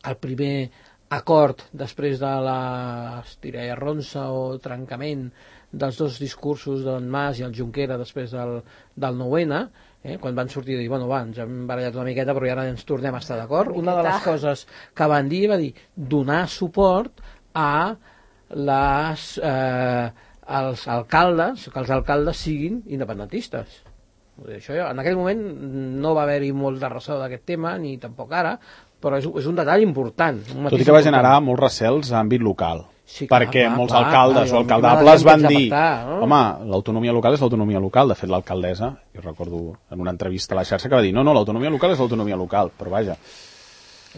el primer acord després de la estiralla ronça o trencament dels dos discursos d'en Mas i el Junquera després del, del nou ene, eh, quan van sortir i dir, bueno, va, ens hem barallat una miqueta però ara ens tornem a estar d'acord, una de les coses que van dir va dir donar suport a les, eh, als alcaldes, que els alcaldes siguin independentistes. Això, en aquell moment no va haver-hi molt de ressò d'aquest tema, ni tampoc ara, però és, és un detall important. Un Tot i que va generar molts recels a àmbit local. Sí, clar, perquè clar, molts clar, alcaldes clar, o alcaldables van dir afectar, no? Home, l'autonomia local és l'autonomia local. De fet, l'alcaldessa, jo recordo en una entrevista a la xarxa que va dir no, no, l'autonomia local és l'autonomia local, però vaja.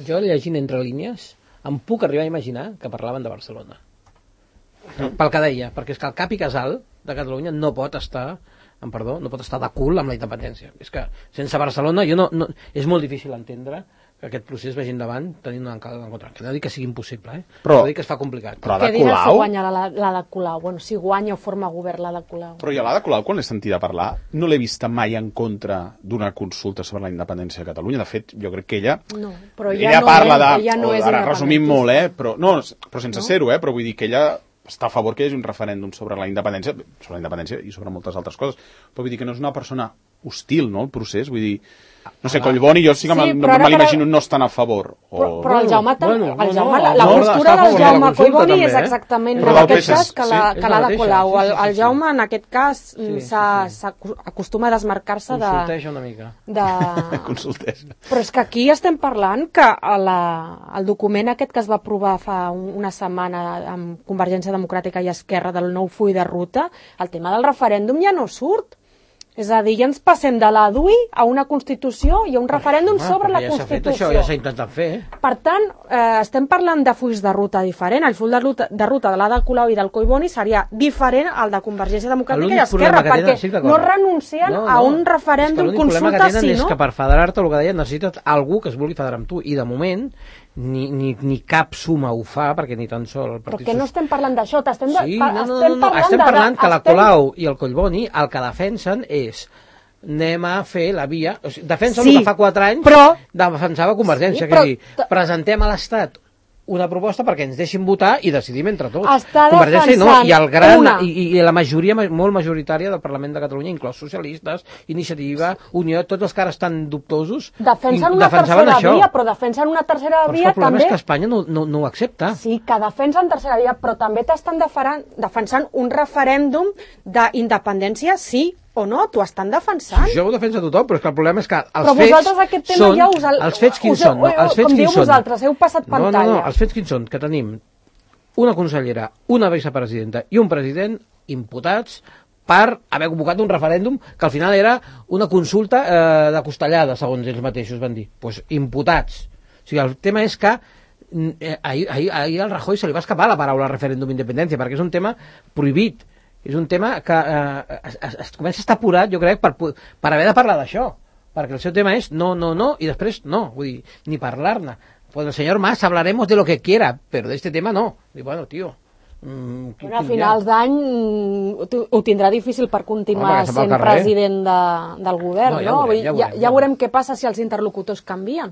Jo, llegint entre línies, em puc arribar a imaginar que parlaven de Barcelona. Pel que deia, perquè és que el cap i casal de Catalunya no pot estar amb perdó, no pot estar de cul amb la independència. És que sense Barcelona jo no, no, és molt difícil entendre que aquest procés vagi endavant tenint un alcalde en contra. Que no dic que sigui impossible, eh? Però, però dic que es fa complicat. Però Què diràs si guanya la, la de Colau? Bueno, si guanya o forma govern la de Colau. Però jo la de Colau, quan l'he sentida parlar, no l'he vista mai en contra d'una consulta sobre la independència de Catalunya. De fet, jo crec que ella... No, però ella no parla és, de... ella no és ara resumim molt, eh? Però, no, però sense no? ser-ho, eh? Però vull dir que ella està a favor que hi hagi un referèndum sobre la independència, sobre la independència i sobre moltes altres coses. Però vull dir que no és una persona hostil, no?, el procés, vull dir... No sé, Collboni, jo sí que sí, me l'imagino no estan a favor. O... Però, però el Jaume, bueno, el no, Jaume no, la no, postura del Jaume Collboni és eh? exactament Però en del aquest P S, cas que l'ha sí, que l'ha de Colau. sí, sí, El, el sí, Jaume en aquest cas sí, s'ha- sí, sí. s'acostuma a desmarcar-se de... Consulteja una mica. de... Consultés. Però és que aquí estem parlant que a la, el document aquest que es va aprovar fa un, una setmana amb Convergència Democràtica i Esquerra del nou full de ruta, el tema del referèndum ja no surt. És a dir, ja ens passem de la D U I a una Constitució i a un referèndum Home, sobre la ja s'ha fet Constitució. això, ja s'ha intentat fer. Per tant, eh, estem parlant de fulls de ruta diferent. El full de ruta de, ruta de l'Ada Colau i del Collboni seria diferent al de Convergència Democràtica i L'únic Esquerra, problema que perquè tenen, sí, d'acord. no renuncien No, a no. un referèndum, És que l'únic problema consulta, que tenen si no... és que per federar-te, el que deia, necessites algú que es vulgui federar amb tu, i de moment ni, ni, ni cap suma ho fa, perquè ni tan sol el Però Partit que no estem parlant d'això, t'estem de- Sí, pa- no, no, estem no, no, parlant estem de- parlant que la estem- Colau i el Collboni el que defensen és anem a fer la via... O sigui, defensen Sí, el que fa quatre anys però- defensava Convergència, Sí, que però- és dir, presentem a l'Estat una proposta perquè ens deixin votar i decidim entre tots. Està Convergència no, defensant i el gran una. i, i la majoria ma- molt majoritària del Parlament de Catalunya, inclòs socialistes, Iniciativa, Unió, tots els que ara estan dubtosos, Defensen i una defensaven tercera això. via, però defensen una tercera Però és que via el problema també... és que Espanya no, no, no ho accepta. Sí, que defensen tercera via, però també t'estan defaran- defensant un referèndum d'independència, sí o no, t'ho estan defensant. Això ho defensa tothom, però és que el problema és que els Però fets vosaltres aquest tema són... ja us el- Els fets quins us heu- són? No, els fets com diu quins són? vosaltres, heu passat No, no, no, pantalla. els fets quins són? Que tenim una consellera, una vicepresidenta i un president imputats per haver convocat un referèndum que al final era una consulta eh, de costellada, segons ells mateixos van dir. Doncs pues, imputats. O sigui, el tema és que eh, ahir, ahir, ahir al Rajoy se li va escapar la paraula referèndum d'independència, perquè és un tema prohibit. És un tema que eh, es, es, es comença a estar apurat, jo crec, per, per haver de parlar d'això. Perquè el seu tema és no, no, no, i després no. Vull dir, ni parlar-ne. Pues el senyor Mas hablaremos de lo que quiera, pero de este tema no. Dic, bueno, tío... Mm, Bueno, a finals d'any mm, ho- ho tindrà difícil per continuar Home, que se'n va al sent carrer. president de, del govern, No, ja no? veurem, Vull dir, ja ja, veurem, ja ja veurem què passa si els interlocutors canvien.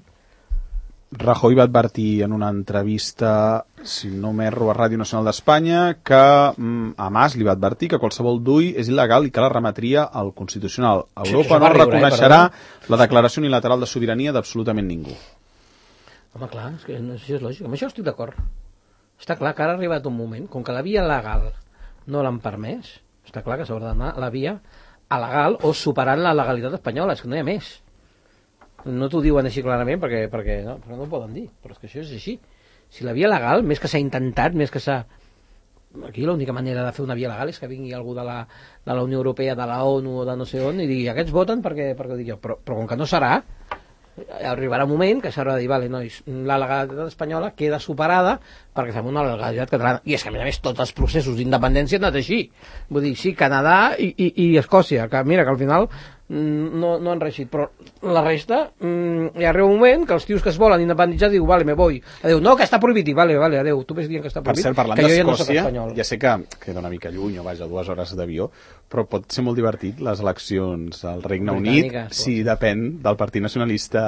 Rajoy va advertir en una entrevista, si no m'erro, a Ràdio Nacional d'Espanya, que mm, a Mas li va advertir que qualsevol D U I és il·legal i que la remetria al Constitucional. Europa això no va riure, eh, reconeixerà perdó. la declaració unilateral de sobirania d'absolutament ningú. Home, clar, és que no, això és lògic. Amb això estic d'acord. Està clar que ara ha arribat un moment, com que la via legal no l'han permès, està clar que s'haurà d'anar a la via alegal o superant la legalitat espanyola, és que no hi ha més. No t'ho diuen així clarament perquè, perquè no, perquè no ho poden dir, però és que això és així. Si la via legal, més que s'ha intentat, més que s'ha... Aquí l'única manera de fer una via legal és que vingui algú de la, de la Unió Europea, de la ONU o de no sé on i digui, aquests voten perquè, perquè ho dic jo, però, però com que no serà, arribarà un moment que s'haurà de dir, vale, nois, la legalitat espanyola queda superada perquè fem una legalitat catalana. I és que, a més a més, tots els processos d'independència han anat així. Vull dir, sí, Canadà i, i, i Escòcia, que mira, que al final no, no han reeixit, però la resta mm, hi arriba un moment que els tios que es volen independitzar diu, vale, me voy, adeu, no, que està prohibit, i vale, vale, adeu, tu ves dient que està Per prohibit, cert, parlant que jo ja no soc d'Escòcia, espanyol. ja sé que queda una mica lluny, o vaja, dues hores d'avió, però pot ser molt divertit les eleccions al Regne Unit, Britàniques, si depèn del Partit Nacionalista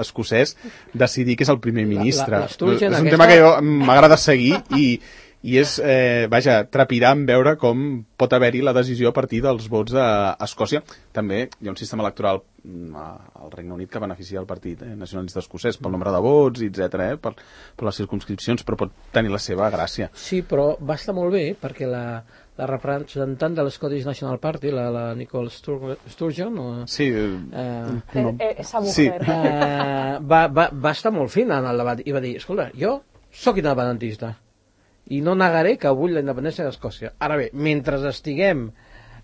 escocès, decidir qui és el primer ministre. la- l'Sturgeon és un aquesta- tema que jo m'agrada seguir i, i és, eh, vaja, trepidant veure com pot haver-hi la decisió a partir dels vots a Escòcia. També hi ha un sistema electoral mm, al Regne Unit que beneficia el Partit eh, Nacionalista Escocès pel nombre de vots, etcètera, eh, per, per les circumscripcions, però pot tenir la seva gràcia. Sí, però va estar molt bé perquè la, la representant de l'Scottish National Party, la, la Nicole Stur Sturgeon, o, Sí, eh, Eh, eh, esa Sí. mujer. eh, va, va, va estar molt fina en el debat i va dir, escolta, jo sóc independentista i no negaré que vull la independència d'Escòcia. Ara bé, mentre estiguem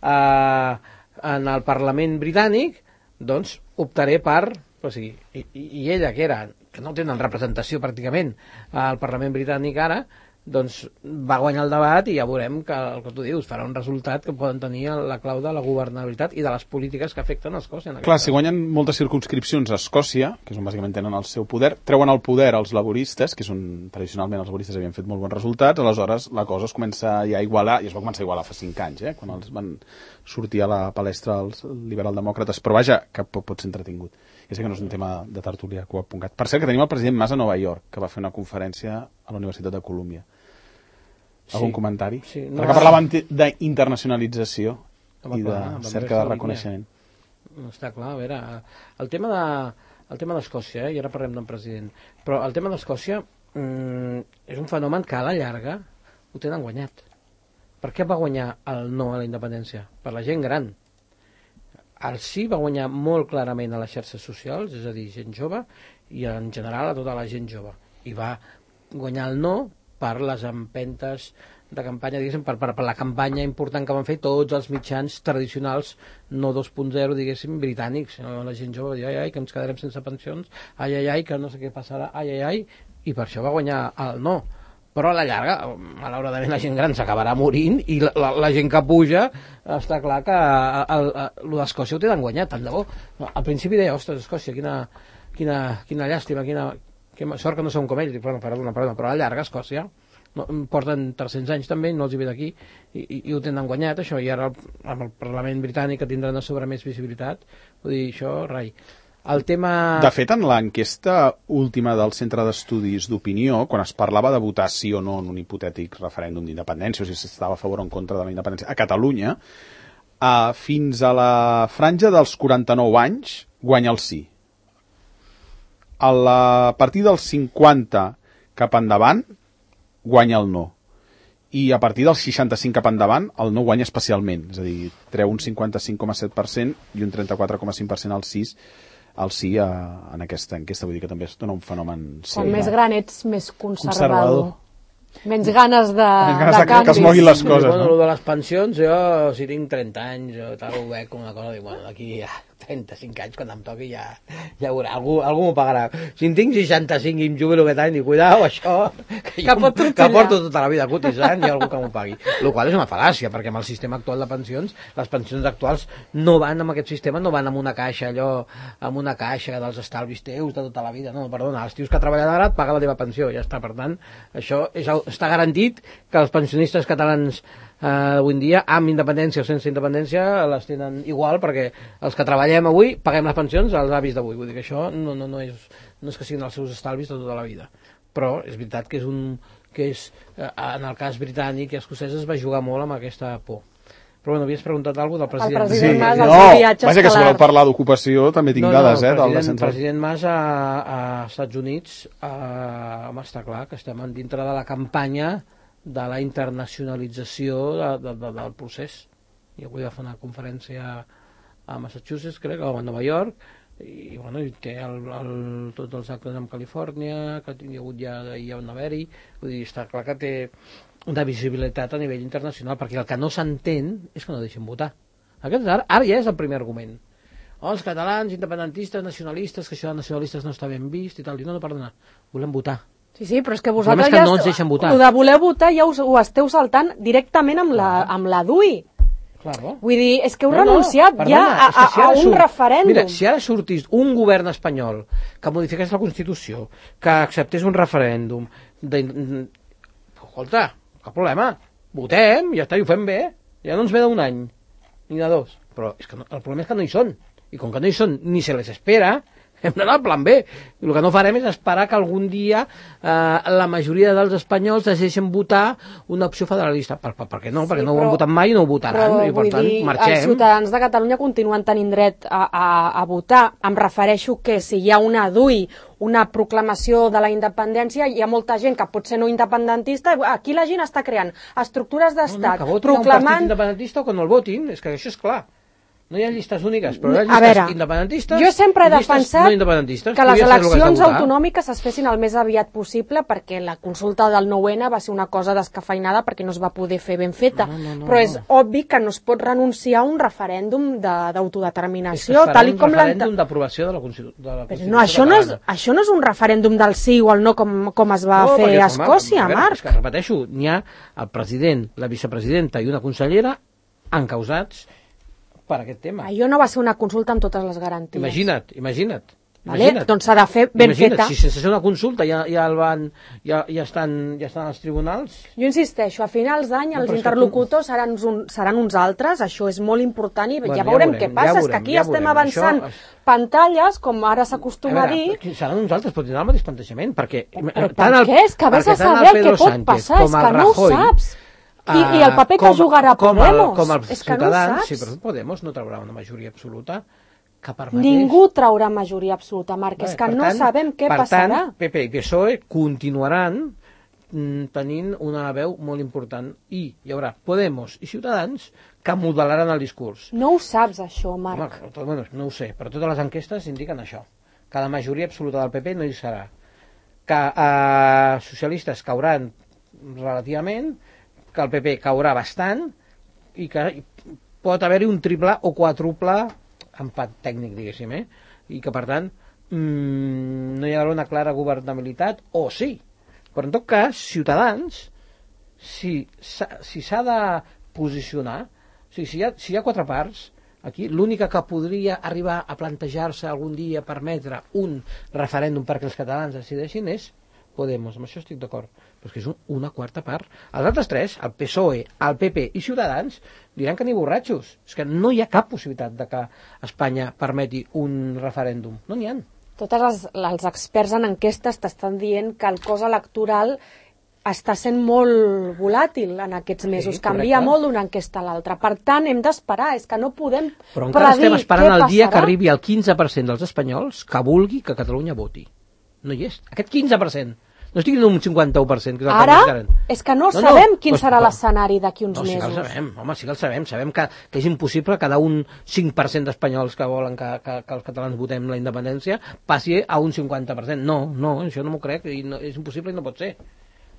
eh, en el Parlament britànic, doncs optaré per... O sigui, i, i ella, que era que no tenen representació pràcticament al Parlament britànic ara, doncs va guanyar el debat i ja veurem que el que tu dius farà un resultat que poden tenir la clau de la governabilitat i de les polítiques que afecten a Escòcia. Clar, si guanyen moltes circumscripcions a Escòcia, que és on bàsicament tenen el seu poder, treuen el poder als laboristes, que és on tradicionalment els laboristes havien fet molt bons resultats, aleshores la cosa es comença ja a igualar, i es va començar a igualar fa cinc anys, eh, quan els van sortir a la palestra els liberal-demòcrates, però vaja, que pot, pot ser entretingut. Ja sé que no és un tema de tertúlia que ho ha puncat. Per cert, que tenim el president Mas a Nova York, que va fer una conferència a la Universitat de Colúmbia. Algun Sí, comentari? sí, no, Perquè parlaven d'internacionalització Home, i clar, de va cerca haver de esa reconeixement. Està clar, a veure, el tema de, el tema d'Escòcia, eh, i ara parlem d'un president, però el tema d'Escòcia mm, és un fenomen que a la llarga ho tenen guanyat. Per què va guanyar el no a la independència? Per la gent gran. El sí va guanyar molt clarament a les xarxes socials, és a dir, gent jove, i en general a tota la gent jove. I va guanyar el no per les empentes de campanya, diguéssim, per, per, per la campanya important que van fer tots els mitjans tradicionals, no dos punt zero, diguéssim, britànics. La gent jove va dir, ai, ai, que ens quedarem sense pensions, ai, ai, ai, que no sé què passarà, ai, ai, ai, i per això va guanyar el no. Però a la llarga, malauradament, la gent gran s'acabarà morint i la, la, la gent que puja, està clar que el, el, el d'Escòcia ho tenen guanyat, tant de bo. Al principi deia, ostres, Escòcia, quina, quina, quina llàstima, quina, quina sort que no som com ells. Dic, bueno, perdona, perdona, però a la llarga, Escòcia, no, porten tres-cents anys també, no els hi ve d'aquí, i, i, i ho tenen guanyat, això, i ara amb el Parlament britànic que tindran a sobre més visibilitat, vull dir, això, rai. El tema... De fet, en l'enquesta última del Centre d'Estudis d'Opinió, quan es parlava de votar sí o no en un hipotètic referèndum d'independència, o si s'estava a favor o en contra de la independència, a Catalunya, eh, fins a la franja dels quaranta-nou anys, guanya el sí. A, la, a partir dels cinquanta cap endavant, guanya el no. I a partir dels seixanta-cinc cap endavant, el no guanya especialment. És a dir, treu un cinquanta-cinc coma set per cent i un trenta-quatre coma cinc per cent al sí, el sí a, en aquesta enquesta. Vull dir que també es dona un fenomen... Quan sí, més gran ets, més conservador. conservador. Menys ganes de, Menys ganes de, de canvis. Que es moguin les coses, bueno, no? Lo de les pensions, jo, si tinc trenta anys, jo tal, ho veig com una cosa, dic, bueno, d'aquí ja trenta-cinc anys, quan em toqui, ja, ja veurà, algú, algú m'ho pagarà. Si en tinc seixanta-cinc i em jubilo aquest any, dic, cuidao, això, que, que, jo, que porto tota la vida cotitzant, hi ha algú que m'ho pagui. El qual és una fal·làcia, perquè amb el sistema actual de pensions, les pensions actuals no van amb aquest sistema, no van amb una caixa, allò, amb una caixa dels estalvis teus de tota la vida, no, perdona, els tios que treballen ara et paguen la teva pensió, ja està, per tant, això és, està garantit que els pensionistes catalans eh, avui en dia, amb independència o sense independència, les tenen igual, perquè els que treballem avui paguem les pensions als avis d'avui. Vull dir que això no, no, no, és, no és que siguin els seus estalvis de tota la vida. Però és veritat que és un que és, eh, en el cas britànic i escocès es va jugar molt amb aquesta por. Però bueno, havies preguntat alguna cosa del president. El president sí, Mas, no, els viatges vaja, que si voleu parlar d'ocupació també tinc no, dades, no, eh? El president, president Mas a, a Estats Units, eh, home, està clar que estem dintre de la campanya de la internacionalització de, de, de, del procés. I avui va fer una conferència a Massachusetts, crec, o a Nova York, i, bueno, i té el, el, tots els actes en Califòrnia, que hi ha hagut ja, ja on haver-hi, vull dir, està clar que té una visibilitat a nivell internacional, perquè el que no s'entén és que no deixen votar. Aquest, ara, ara ja és el primer argument. Oh, els catalans, independentistes, nacionalistes, que això de nacionalistes no està ben vist i tal. I no, no, perdona, volem votar. Sí, sí, però és que vosaltres és que ja... no ens deixen votar. El de voler votar ja us, ho esteu saltant directament amb la, amb la D U I. Claro. Vull dir, és que heu no, renunciat no, ja perdona, a, a, si a un surt, referèndum. Mira, si ara sortís un govern espanyol que modifiqués la Constitució, que acceptés un referèndum, de... escolta, cap problema, votem, ja està, i ho fem bé, ja no ens ve d'un any, ni de dos. Però és que no, el problema és que no hi són, i com que no hi són ni se les espera, hem d'anar al plan B. I el que no farem és esperar que algun dia eh, la majoria dels espanyols deixen votar una opció federalista. Per, per, per què no? Sí, perquè no ho han votat mai i no ho votaran. Però, i per tant, dir, marxem. Els ciutadans de Catalunya continuen tenint dret a, a, a votar. Em refereixo que si hi ha una D U I, una proclamació de la independència, hi ha molta gent que pot ser no independentista. Aquí la gent està creant estructures d'estat, no, no, que proclamant... un partit independentista o que no el votin, és que això és clar. No hi ha llistes úniques, però hi ha llistes veure, independentistes jo sempre he defensat no independentistes. Que les eleccions de autonòmiques es fessin el més aviat possible, perquè la consulta del nou ene va ser una cosa descafeinada perquè no es va poder fer ben feta. No, no, no, però és no. obvi que no es pot renunciar a un referèndum d'autodeterminació. És que tal i com un referèndum d'aprovació de la Constitució. Però no, això no, és, això no és un referèndum del sí o el no com, com es va no, fer a Escòcia, veure, Marc. És que, repeteixo, n'hi ha el president, la vicepresidenta i una consellera encausats per aquest tema. Allò no va ser una consulta amb totes les garanties. Imagina't, imagina't. Vale? imagina't. Doncs s'ha de fer ben imagina't, feta. Si sense fer una consulta ja, ja, el van, ja, ja, estan, ja estan als tribunals... Jo insisteixo, a finals d'any no, els interlocutors tu... seran, un, seran uns altres, això és molt important i bueno, ja veurem ja què passa, ja veurem, és que aquí ja estem veurem. avançant això... pantalles, com ara s'acostuma a, a dir... Seran uns altres, però tindran el mateix plantejament, perquè... Però per el, què? És que vés a saber el que pot Sánchez, passar, és que no ho saps. I, I el paper com, que jugarà com Podemos, el, com el és que no ho saps. Sí, però Podemos no traurà una majoria absoluta. que permetés... Ningú traurà majoria absoluta, Marc, és que no tant, sabem què per passarà. Per tant, P P i P S O E continuaran tenint una veu molt important i hi haurà Podemos i Ciutadans que modelaran el discurs. No ho saps, això, Marc. Home, bueno, no ho sé, però totes les enquestes indiquen això, que la majoria absoluta del P P no hi serà, que eh, socialistes cauran relativament, que el P P caurà bastant i que pot haver-hi un triple o quadruple empat tècnic, diguéssim, eh? I que, per tant, mmm, no hi haurà una clara governabilitat, o sí. Però, en tot cas, Ciutadans, si s'ha si de posicionar, o sigui, si hi ha, si hi ha quatre parts, aquí l'única que podria arribar a plantejar-se algun dia permetre un referèndum perquè els catalans decideixin és Podemos, amb això estic d'acord, però és que és un, una quarta part. Els altres tres, el P S O E, el P P i Ciutadans, diran que ni borratxos. És que no hi ha cap possibilitat de que Espanya permeti un referèndum. No n'hi ha. Tots els, els experts en enquestes t'estan dient que el cos electoral està sent molt volàtil en aquests mesos, sí, canvia molt d'una enquesta a l'altra. Per tant, hem d'esperar, és que no podem però encara estem esperant el dia passarà. Que arribi el quinze per cent dels espanyols que vulgui que Catalunya voti. No hi és. Aquest quinze per cent. No estic dient un cinquanta-u per cent. Que és el Ara, que és que no, no sabem no, quin pues, serà però, l'escenari d'aquí uns no, sí mesos. Sí que el sabem, home, sí que el sabem. Sabem que, que és impossible que d'un cinc per cent d'espanyols que volen que, que, que els catalans votem la independència passi a un cinquanta per cent. No, no, això no m'ho crec, i no, és impossible i no pot ser.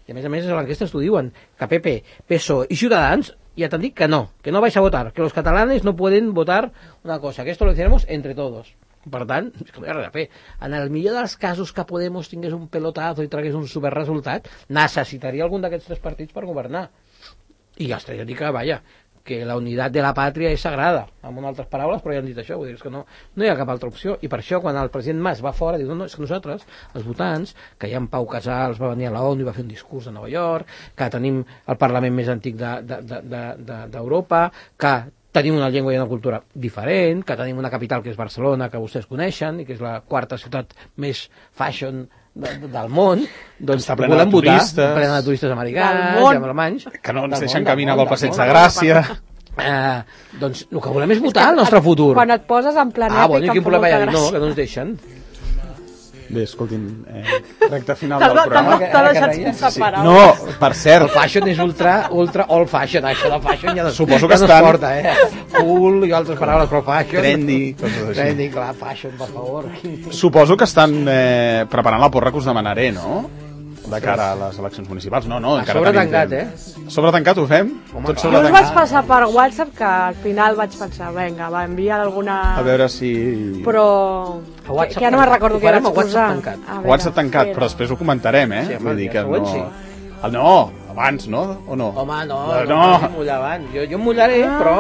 I a més a més, a l'enquesta t'ho diuen, que P P, P S O E i Ciutadans ja t'han dit que no, que no vais a votar, que los catalanes no pueden votar una cosa, que esto lo decidiremos entre todos. Per tant, és que no hi ha res a fer. En el millor dels casos que Podemos tingués un pelotazo i tragués un superresultat, necessitaria algun d'aquests tres partits per governar. I els tres ja dic que, vaja, que la unitat de la pàtria és sagrada, amb unes altres paraules, però ja han dit això, vull dir, és que no, no hi ha cap altra opció. I per això, quan el president Mas va fora, diu, no, no, és que nosaltres, els votants, que ja en Pau Casals va venir a la ONU i va fer un discurs a Nova York, que tenim el Parlament més antic d'Europa, de, de, de, que tenim una llengua i una cultura diferent, que tenim una capital que és Barcelona, que vostès coneixen, i que és la quarta ciutat més fashion de, de, del món, doncs està plena volem de votar, turistes, plena de turistes americans i alemanys, que no ens del deixen món, caminar del pel món, passeig del de món. Gràcia. Eh, doncs el que volem és votar el nostre futur. Quan et poses en planeta... Ah, bueno, i quin problema hi ha? No, gràcia. que no ens deixen. Bé, escoltin, eh, recte final del programa. T'ha deixat sense paraules. No, per El cert, fashion és ultra, ultra old fashion, això de fashion ja no, Suposo que ja no estan- es porta, eh? Cool i altres paraules, però fashion... trendy, coses així. Trendy, clar, fashion, per favor. Suposo que estan eh, preparant la porra que us demanaré, no? De cara a les eleccions municipals. No, no, A encara sobre tenim tancat, temps. eh? A sobre tancat ho fem? Home, Tot clar. sobre Jo us tancat. vaig passar per WhatsApp que al final vaig pensar, vinga, va enviar alguna... A veure si... Però... A Que, WhatsApp que ja no me'n tancat. recordo Ho què farem vaig a WhatsApp posar. tancat. A veure, WhatsApp tancat, espera. però després ho comentarem, eh? Sí, home, Vull dir el que següent no... sí. Ah, no, abans, no? O no? Home, no, Eh, no, no. no mullar abans. Jo, jo em mullaré, però...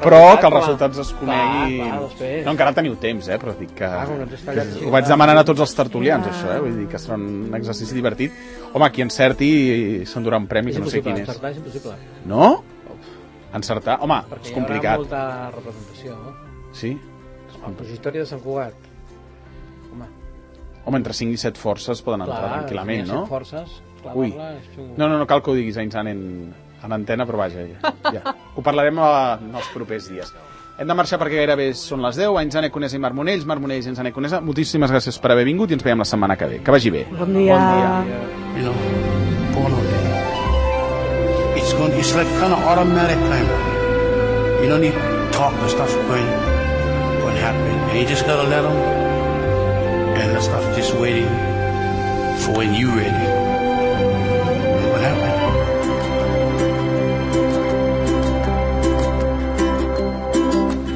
Però que els home. resultats es coneguin... Clar, clar, després. No, encara teniu temps, eh? Però dic que... Clar, com no t'has que tallat així, ho vaig clar. demanant a tots els tertulians, això, eh? Vull dir que serà un exercici divertit. Home, qui encerti s'endurà un premi, És que no sé impossible, quin és. encertar és impossible. No? Encertar? Home, Perquè és hi haurà complicat. molta representació, no? Sí? El consistori de Sant Cugat. Home, Home, entre cinc i set forces poden entrar clar, tranquil·lament, si hi ha no? set forces, Ui. clavar-la és xungo. No, no, no cal que ho diguis a Insan en, en antena, però vaja, ja, ja. Ho parlarem a, en els propers dies. Hem de marxar perquè gairebé són les deu. A Inzane Conesa i Marc Monells, Marc Monells i Inzane Conesa, moltíssimes gràcies per haver vingut i ens veiem la setmana que ve. Que vagi bé. Bon dia. Bon dia. You know, born on that. It's going. It's like kind of automatic kind of. You don't need to talk. The stuff's going, going to happen, and you just gotta let them. And the stuff just waiting for when you ready. And what happened?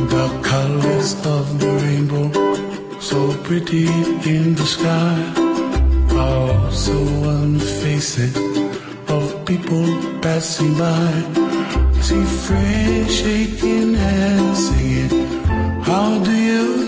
The colors of the rainbow, so pretty in the sky, are also on the faces of people passing by. See friends shaking hands, singing, how do you